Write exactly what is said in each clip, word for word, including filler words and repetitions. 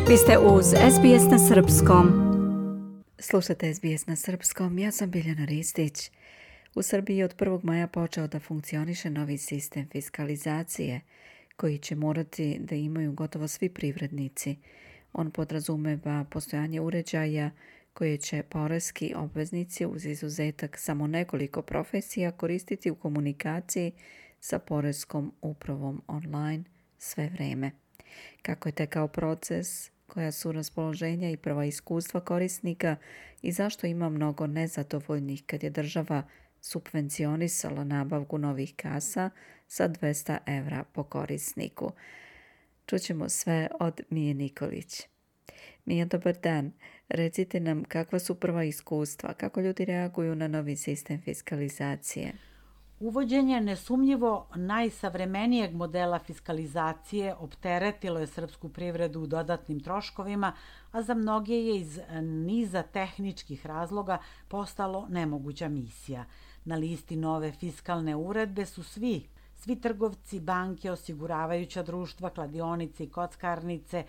Vi ste uz S B S na Srpskom. Slušate S B S na Srpskom, ja sam Biljana Ristić. U Srbiji je od prvog maja počeo da funkcioniše novi sistem fiskalizacije, koji će morati da imaju gotovo svi privrednici. On podrazumeva postojanje uređaja koje će poreski obveznici uz izuzetak samo nekoliko profesija koristiti u komunikaciji sa poreskom upravom online sve vreme. Kako je tekao proces, koja su raspoloženja i prva iskustva korisnika i zašto ima mnogo nezadovoljnih kad je država subvencionisala nabavku novih kasa sa dvesta evra po korisniku. Čućemo sve od Mije Nikolić. Mija, dobar dan. Recite nam kakva su prva iskustva, kako ljudi reaguju na novi sistem fiskalizacije? Uvođenje nesumnjivo najsavremenijeg modela fiskalizacije opteretilo je srpsku privredu dodatnim troškovima, a za mnoge je iz niza tehničkih razloga postalo nemoguća misija. Na listi nove fiskalne uredbe su svi, svi trgovci, banke, osiguravajuća društva, kladionice i kockarnice,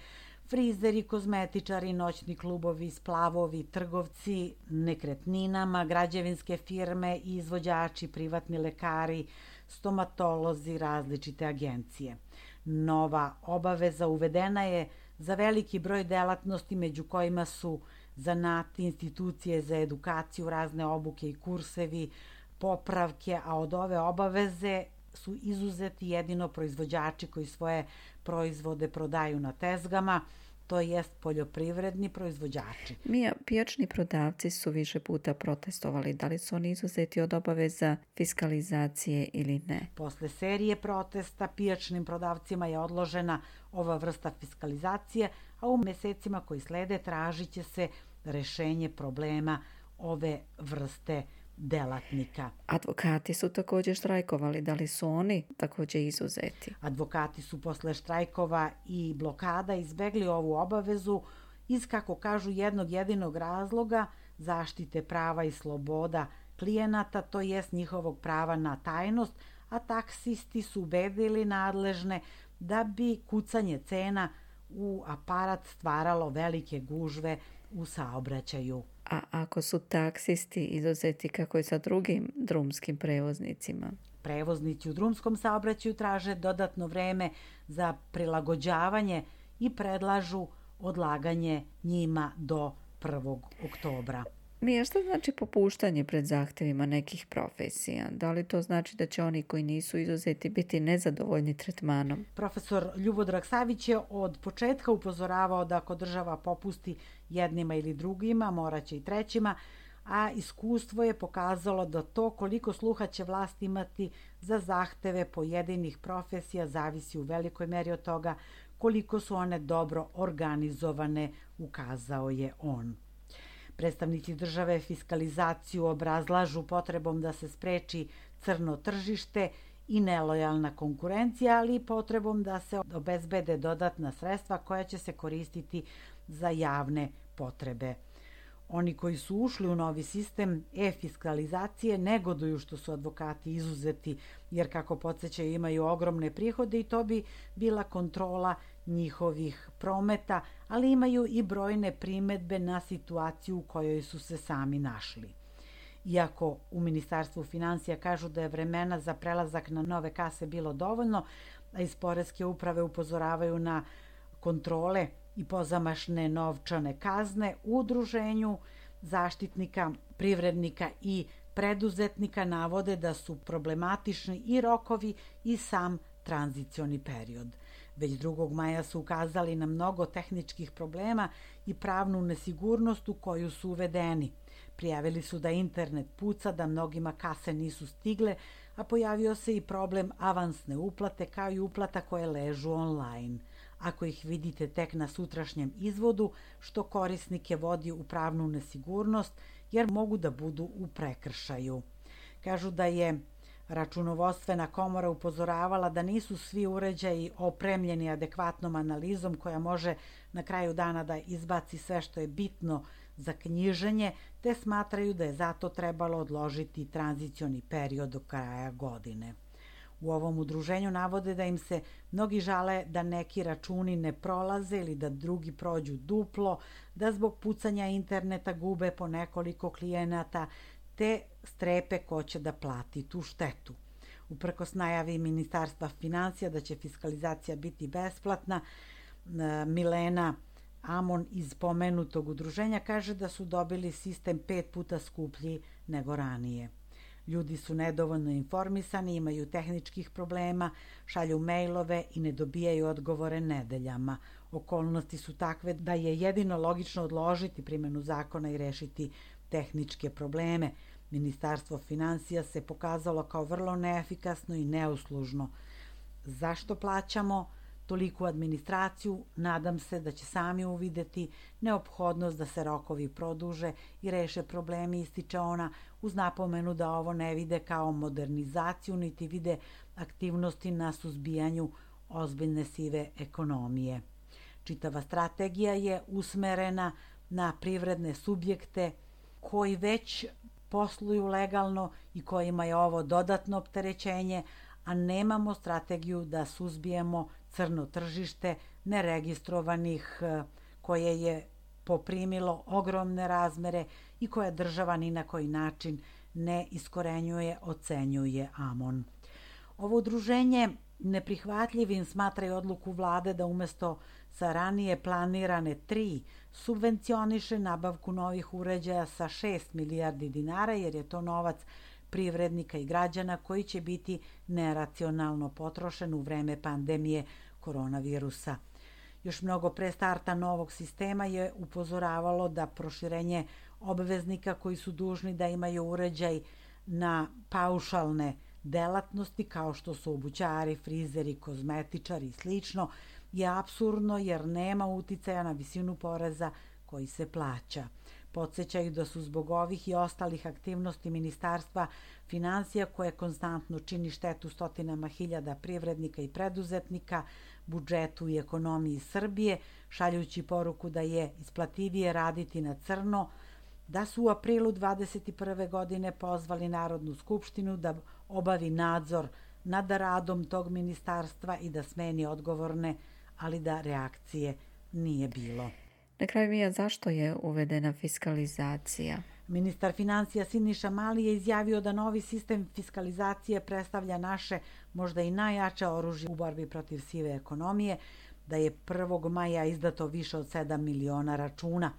frizeri, kozmetičari, noćni klubovi, splavovi, trgovci nekretninama, građevinske firme, izvođači, privatni lekari, stomatolozi, različite agencije. Nova obaveza uvedena je za veliki broj delatnosti, među kojima su zanati, institucije za edukaciju, razne obuke i kursevi, popravke, a od ove obaveze su izuzeti jedino proizvođači koji svoje proizvode prodaju na tezgama, to jest poljoprivredni proizvođači. Mija, pijačni prodavci su više puta protestovali. Da li su oni izuzeti od obaveza fiskalizacije ili ne? Posle serije protesta pijačnim prodavcima je odložena ova vrsta fiskalizacije, a u mesecima koji slede tražit će se rešenje problema ove vrste delatnika. Advokati su također štrajkovali. Da li su oni također izuzeti? Advokati su posle štrajkova i blokada izbegli ovu obavezu iz, kako kažu, jednog jedinog razloga zaštite prava i sloboda klijenata, to jest njihovog prava na tajnost, a taksisti su ubedili nadležne da bi kucanje cena u aparat stvaralo velike gužve u saobraćaju. A ako su taksisti izuzeti, kako je sa drugim drumskim prevoznicima? Prevoznici u drumskom saobraćaju traže dodatno vreme za prilagođavanje i predlažu odlaganje njima do prvog oktobra. Mija, šta znači popuštanje pred zahtevima nekih profesija? Da li to znači da će oni koji nisu izuzeti biti nezadovoljni tretmanom? Profesor Ljubodrag Savić je od početka upozoravao da ako država popusti jednima ili drugima, moraće i trećima, a iskustvo je pokazalo da to koliko sluha će vlast imati za zahteve pojedinih profesija zavisi u velikoj meri od toga koliko su one dobro organizovane, ukazao je on. Predstavnici države fiskalizaciju obrazlažu potrebom da se spreči crno tržište i nelojalna konkurencija, ali i potrebom da se obezbede dodatna sredstva koja će se koristiti za javne potrebe. Oni koji su ušli u novi sistem e-fiskalizacije negoduju što su advokati izuzeti, jer kako podsjećaju imaju ogromne prihode i to bi bila kontrola njihovih prometa, ali imaju i brojne primedbe na situaciju u kojoj su se sami našli. Iako u Ministarstvu finansija kažu da je vremena za prelazak na nove kase bilo dovoljno, a iz poreske uprave upozoravaju na kontrole i pozamašne novčane kazne, u udruženju zaštitnika, privrednika i preduzetnika navode da su problematični i rokovi i sam tranzicioni period. Već drugog maja su ukazali na mnogo tehničkih problema i pravnu nesigurnost u koju su uvedeni. Prijavili su da internet puca, da mnogima kase nisu stigle, a pojavio se i problem avansne uplate kao i uplata koje ležu online. Ako ih vidite tek na sutrašnjem izvodu, što korisnike vodi u pravnu nesigurnost, jer mogu da budu u prekršaju. Kažu da je Računovodstvena komora upozoravala da nisu svi uređaji opremljeni adekvatnom analizom koja može na kraju dana da izbaci sve što je bitno za knjiženje, te smatraju da je zato trebalo odložiti tranzicioni period do kraja godine. U ovom udruženju navode da im se mnogi žale da neki računi ne prolaze ili da drugi prođu duplo, da zbog pucanja interneta gube po nekoliko klijenata, te strepe ko će da plati tu štetu. Uprkos najavi Ministarstva finansija da će fiskalizacija biti besplatna, Milena Amon iz pomenutog udruženja kaže da su dobili sistem pet puta skuplji nego ranije. Ljudi su nedovoljno informisani, imaju tehničkih problema, šalju mejlove i ne dobijaju odgovore nedeljama. Okolnosti su takve da je jedino logično odložiti primjenu zakona i rešiti tehničke probleme. Ministarstvo finansija se pokazalo kao vrlo neefikasno i neuslužno. Zašto plaćamo toliku administraciju? Nadam se da će sami uvideti neophodnost da se rokovi produže i reše problemi, ističe ona, uz napomenu da ovo ne vide kao modernizaciju, niti vide aktivnosti na suzbijanju ozbiljne sive ekonomije. Čitava strategija je usmerena na privredne subjekte koji već posluju legalno i kojima je ovo dodatno opterećenje, a nemamo strategiju da suzbijemo crno tržište neregistrovanih koje je poprimilo ogromne razmere i koje država ni na koji način ne iskorenjuje, ocenjuje Amon. Ovo udruženje neprihvatljivim smatraju odluku vlade da umesto sa ranije planirane tri subvencioniše nabavku novih uređaja sa šest milijardi dinara, jer je to novac privrednika i građana koji će biti neracionalno potrošen u vreme pandemije koronavirusa. Još mnogo pre starta novog sistema je upozoravalo da proširenje obveznika koji su dužni da imaju uređaj na paušalne delatnosti kao što su obućari, frizeri, kozmetičari i slično je apsurdno jer nema uticaja na visinu poreza koji se plaća. Podsećaju da su zbog ovih i ostalih aktivnosti Ministarstva finansija, koje konstantno čini štetu stotinama hiljada privrednika i preduzetnika, budžetu i ekonomiji Srbije, šaljući poruku da je isplativije raditi na crno, da su u aprilu dvadeset prve godine pozvali Narodnu skupštinu da obavi nadzor nad radom tog ministarstva i da smeni odgovorne, ali da reakcije nije bilo. Na kraju, Mija, zašto je uvedena fiskalizacija? Ministar finansija Siniša Mali je izjavio da novi sistem fiskalizacije predstavlja naše možda i najjače oružje u borbi protiv sive ekonomije, da je prvog maja izdato više od sedam miliona računa.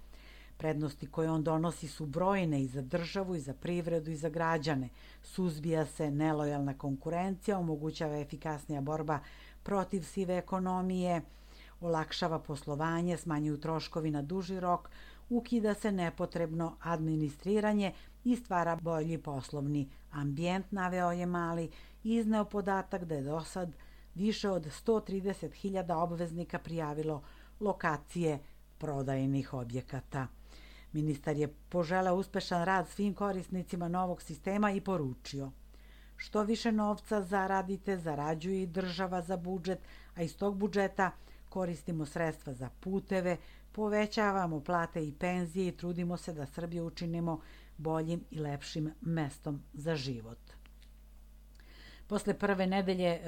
Prednosti koje on donosi su brojne i za državu, i za privredu, i za građane. Suzbija se nelojalna konkurencija, omogućava efikasnija borba protiv sive ekonomije, olakšava poslovanje, smanjuju troškovi na duži rok, ukida se nepotrebno administriranje i stvara bolji poslovni ambijent, naveo je Mali i izneo podatak da je do sad više od sto trideset hiljada obveznika prijavilo lokacije prodajnih objekata. Ministar je poželeo uspešan rad svim korisnicima novog sistema i poručio: što više novca zaradite, zarađuje i država za budžet, a iz tog budžeta koristimo sredstva za puteve, povećavamo plate i penzije i trudimo se da Srbiju učinimo boljim i lepšim mestom za život. Posle prve nedelje e,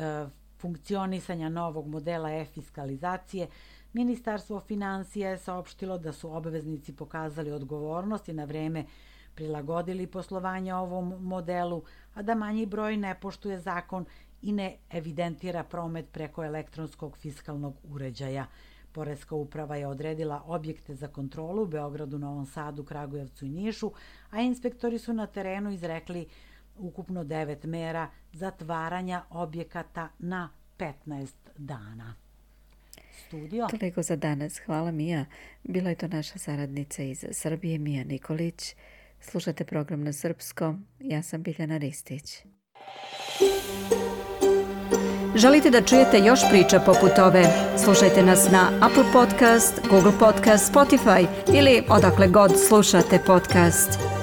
funkcionisanja novog modela e-fiskalizacije, Ministarstvo finansija je saopštilo da su obveznici pokazali odgovornost i na vreme prilagodili poslovanje ovom modelu, a da manji broj ne poštuje zakon i ne evidentira promet preko elektronskog fiskalnog uređaja. Poreska uprava je odredila objekte za kontrolu u Beogradu, Novom Sadu, Kragujevcu i Nišu, a inspektori su na terenu izrekli ukupno devet mera zatvaranja objekata na petnaest dana. Studio. Toliko za danas. Hvala, Mija. Bila je to naša saradnica iz Srbije, Mija Nikolić. Slušate program na srpskom. Ja sam Biljana Ristić. Želite da čujete još priča poput ove? Slušajte nas na Apple Podcast, Google Podcast, Spotify ili odakle god slušate podcast.